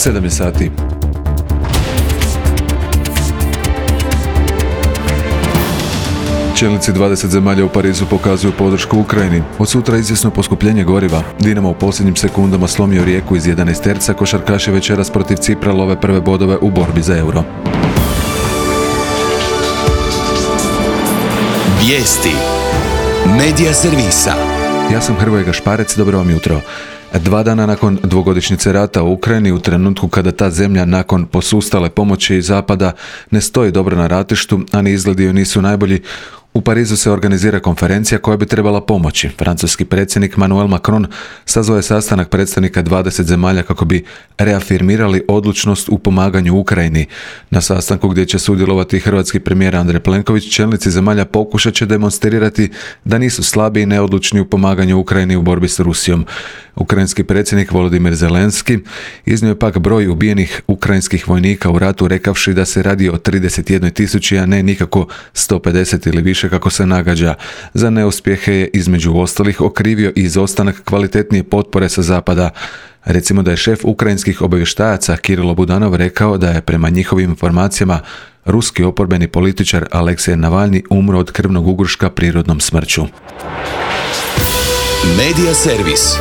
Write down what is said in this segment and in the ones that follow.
7 sati. Čelnici 20 zemalja u Parizu pokazuju podršku Ukrajini. Od sutra izvjesno poskupljenje goriva. Dinamo u posljednjim sekundama slomio Rijeku iz 11 terca, košarkaši večeras protiv Cipra love prve bodove u borbi za euro. Vijesti Medija servisa. Ja sam Hrvoje Gašparec, dobro vam jutro. 2 dana nakon dvogodišnjice rata u Ukrajini, u trenutku kada ta zemlja nakon posustale pomoći Zapada ne stoji dobro na ratištu, a ni izgledi joj nisu najbolji, u Parizu se organizira konferencija koja bi trebala pomoći. Francuski predsjednik Emmanuel Macron sazvao je sastanak predstavnika 20 zemalja kako bi reafirmirali odlučnost u pomaganju Ukrajini. Na sastanku gdje će sudjelovati hrvatski premijer Andrej Plenković, čelnici zemalja pokušat će demonstrirati da nisu slabi i neodlučni u pomaganju Ukrajini u borbi s Rusijom. Ukrajinski predsjednik Volodymyr Zelenski iznio je pak broj ubijenih ukrajinskih vojnika u ratu, rekavši da se radi o 31.000, a ne nikako 150 ili više kako se nagađa. Za neuspjehe je između ostalih okrivio i izostanak kvalitetnije potpore sa zapada. Recimo da je šef ukrajinskih obavještajaca Kirilo Budanov rekao da je prema njihovim informacijama ruski oporbeni političar Aleksej Navalni umro od krvnog ugruška prirodnom smrću. Medija servis.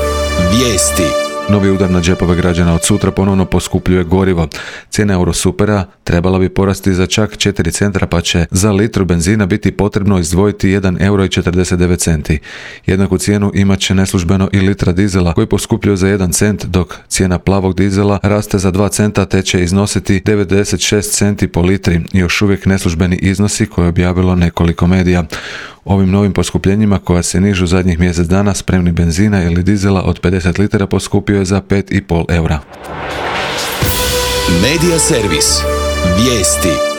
Vijesti. Novi udar na džepove građana od sutra ponovno poskupljuje gorivo. Cijena Eurosupera trebala bi porasti za čak 4 centra, pa će za litru benzina biti potrebno izdvojiti 1,49 euro. Jednaku cijenu imat će neslužbeno i litra dizela, koji poskupljuje za 1 cent, dok cijena plavog dizela raste za 2 centa te će iznositi 96 centi po litri, još uvijek neslužbeni iznosi koje je objavilo nekoliko medija. Ovim novim poskupljenjima koja se nižu zadnjih mjesec dana, spremni benzina ili dizela od 50 litara poskupio je za 5,5 eura. Medija servis. Vijesti.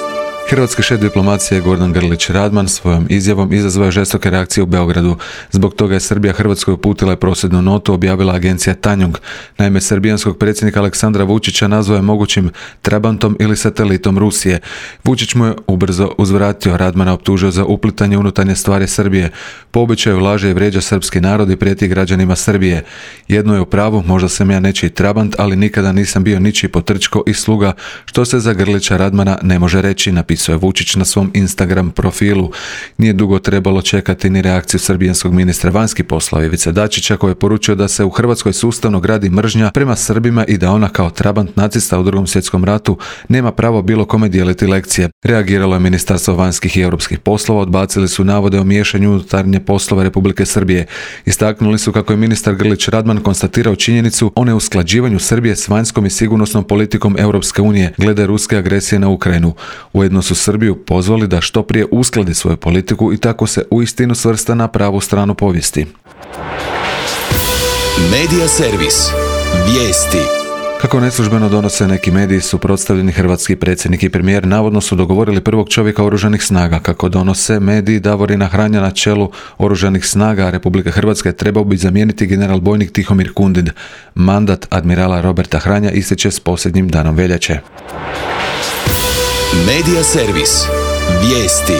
Hrvatski šef diplomacije Gordan Grlić Radman svojom izjavom izazvao je žestoke reakcije u Beogradu. Zbog toga je Srbija Hrvatskoj uputila prosvjednu notu, objavila agencija Tanjug. Naime, srbijanskog predsjednika Aleksandra Vučića nazvao je mogućim trabantom ili satelitom Rusije. Vučić mu je ubrzo uzvratio, Radmana optužio za uplitanje unutarnje stvari Srbije. Po običaju laže i vrijeđa srpski narod i prijeti građanima Srbije. Jedno je u pravu, možda sam ja nečiji trabant, ali nikada nisam bio ničiji potrčko i sluga, što se za Grlića Radmana ne može reći, napisao je Vučić na svom Instagram profilu. Nije dugo trebalo čekati ni reakciju srbijanskog ministra vanjskih poslova Ivice Dačića, koji je poručio da se u Hrvatskoj sustavno gradi mržnja prema Srbima i da ona kao trabant nacista u Drugom svjetskom ratu nema pravo bilo kome dijeliti lekcije. Reagiralo je Ministarstvo vanjskih i europskih poslova, odbacili su navode o miješanju unutarnje poslove Republike Srbije. Istaknuli su kako je ministar Grlić Radman konstatirao činjenicu o neusklađivanju Srbije s vanjskom i sigurnosnom politikom Europske unije glede ruske agresije na Ukrajinu. Ujedno su Srbiju pozvali da što prije uskladi svoju politiku i tako se uistinu svrsta na pravu stranu povijesti. Medija servis. Vijesti. Kako neslužbeno donose neki mediji, suprotstavljeni hrvatski predsjednik i premijer navodno su dogovorili prvog čovjeka oružanih snaga. Kako donose mediji, Davorina Hranja na čelu oružanih snaga Republike Hrvatske trebao bi zamijeniti general bojnik Tihomir Kundin. Mandat admirala Roberta Hranja ističe s posljednjim danom veljače. Medija servis. Vijesti.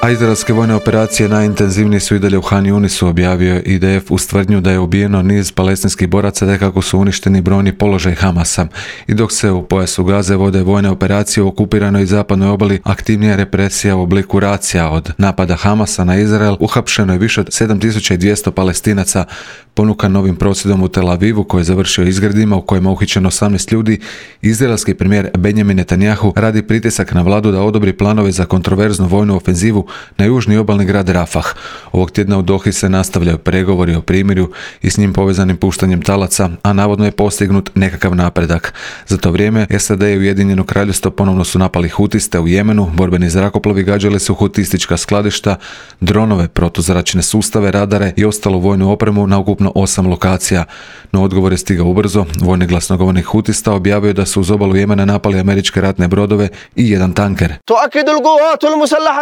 A izraelske vojne operacije najintenzivnije su i dalje u Han Yunisu, objavio IDF uz tvrdnju da je ubijeno niz palestinskih boraca te kako su uništeni brojni položaj Hamasa. I dok se u pojasu Gaze vode vojne operacije u okupiranoj i zapadnoj obali, aktivnija represija u obliku racija od napada Hamasa na Izrael, uhapšeno je više od 7200 Palestinaca. Ponukan novim prosvjedom u Tel Avivu koji je završio izgredima u kojima je uhićeno 18 ljudi, izraelski premijer Benjamin Netanjahu radi pritisak na vladu da odobri planove za kontroverznu vojnu ofenzivu na južni obalni grad Rafah. Ovog tjedna u Dohi se nastavljaju pregovori o primirju i s njim povezanim puštanjem talaca, a navodno je postignut nekakav napredak. Za to vrijeme SAD i Ujedinjeno Kraljevstvo ponovno su napali hutiste u Jemenu, borbeni zrakoplovi gađali su hutistička skladišta, dronove, protuzračne sustave, radare i ostalu vojnu opremu na ukupno 8 lokacija. No odgovor je stigao ubrzo. Vojni glasnogovornik hutista objavio da su uz obalu Jemena napali američke ratne brodove i jedan tanker.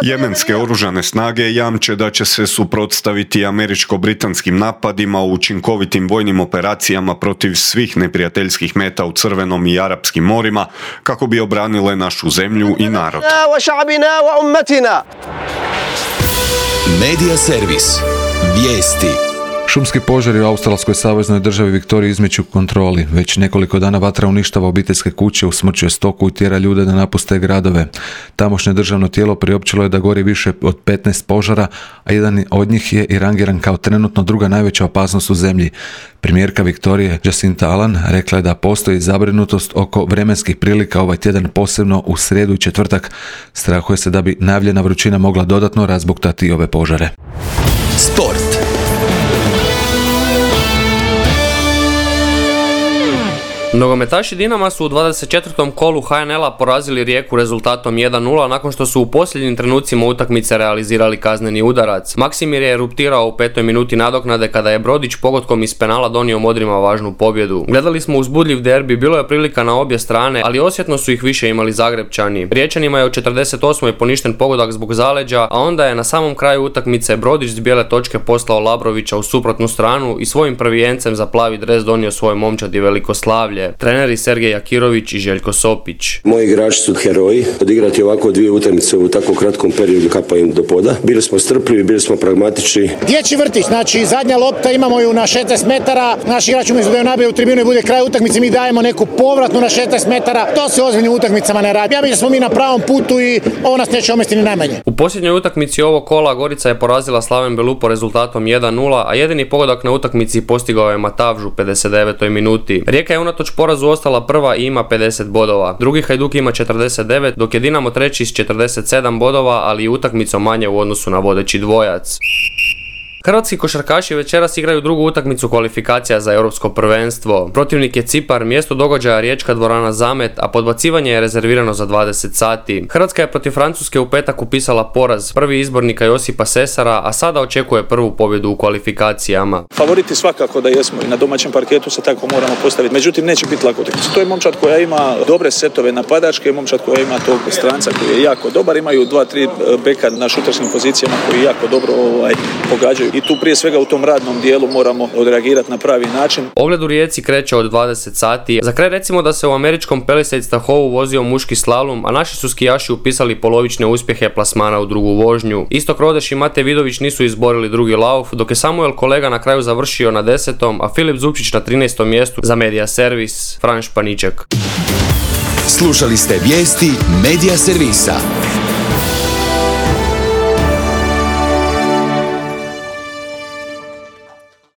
Jemenske oružane snage jamče da će se suprotstaviti američko-britanskim napadima u učinkovitim vojnim operacijama protiv svih neprijateljskih meta u Crvenom i Arapskim morima kako bi obranile našu zemlju i narod. Medija servis. Vijesti. Šumski požari u australskoj saveznoj državi Viktoriji izmiču kontroli. Već nekoliko dana vatra uništava obiteljske kuće, usmrćuje stoku i tjera ljude da napuste gradove. Tamošnje državno tijelo priopćilo je da gori više od 15 požara, a jedan od njih je i rangiran kao trenutno druga najveća opasnost u zemlji. Premijerka Viktorije Jacinta Ardern rekla je da postoji zabrinutost oko vremenskih prilika ovaj tjedan, posebno u srijedu i četvrtak. Strahuje se da bi najavljena vrućina mogla dodatno razbuktati ove požare. Sport. Nogometaši Dinama su u 24. kolu HNL-a porazili Rijeku rezultatom 1-0 nakon što su u posljednjim trenucima utakmice realizirali kazneni udarac. Maksimir je eruptirao u 5. minuti nadoknade kada je Brodić pogodkom iz penala donio Modrima važnu pobjedu. Gledali smo uzbudljiv derbi, bilo je prilika na obje strane, ali osjetno su ih više imali Zagrepčani. Riječanima je u 48. poništen pogodak zbog zaleđa, a onda je na samom kraju utakmice Brodić s bijele točke poslao Labrovića u suprotnu stranu i svojim prvijencem za plavi dres donio svoj momčad i veliko slavlje. Treneri Sergej Akirović i Željko Sopić. Moji igrači su heroji. Odigrati ovako dvije utakmice u tako kratkom periodu kapa im do poda. Bili smo strpljivi, bili smo pragmatični. Dječji vrtić, znači zadnja lopta, imamo ju na 16 metara. Naš igrač umjesto da ju nabije u tribinu i bude kraj utakmice, mi dajemo neku povratnu na 16 metara. To se ozbiljnim utakmicama ne radi. Ja mislim da smo mi na pravom putu i ovo nas neće omesti ni najmanje. U posljednjoj utakmici ovog kola Gorica je porazila Slaven Belupo rezultatom 1-0, a jedini pogodak na utakmici postigao je Matavžu u 59. minuti. Rijeka je unatoč porazu ostala prva i ima 50 bodova. Drugi Hajduk ima 49, dok je Dinamo treći s 47 bodova, ali i utakmicom manje u odnosu na vodeći dvojac. Hrvatski košarkaši večeras igraju drugu utakmicu kvalifikacija za europsko prvenstvo. Protivnik je Cipar, mjesto događaja riječka dvorana Zamet, a podbacivanje je rezervirano za 20 sati. Hrvatska je protiv Francuske u petak upisala poraz, prvi izbornika Josipa Sesara, a sada očekuje prvu pobjedu u kvalifikacijama. Favoriti svakako da jesmo i na domaćem parketu se tako moramo postaviti, međutim neće biti lako utakmica. To je momčad koja ima dobre setove napadačke, momčad koja ima tog stranca koji je jako dobar, imaju 2-3 beka na šuterskim pozicijama koji jako dobro pogađaju. I tu prije svega u tom radnom dijelu moramo odreagirati na pravi način. Ogled u Rijeci kreće od 20 sati. Za kraj recimo da se u američkom Palisades-Tahoeu vozio muški slalom, a naši su skijaši upisali polovične uspjehe plasmana u drugu vožnju. Istok Rodeš i Mate Vidović nisu izborili drugi lauf, dok je Samuel Kolega na kraju završio na 10. a Filip Zupčić na 13. mjestu. Za Medija Servis, Fran Španiček. Slušali ste vijesti Medija Servisa.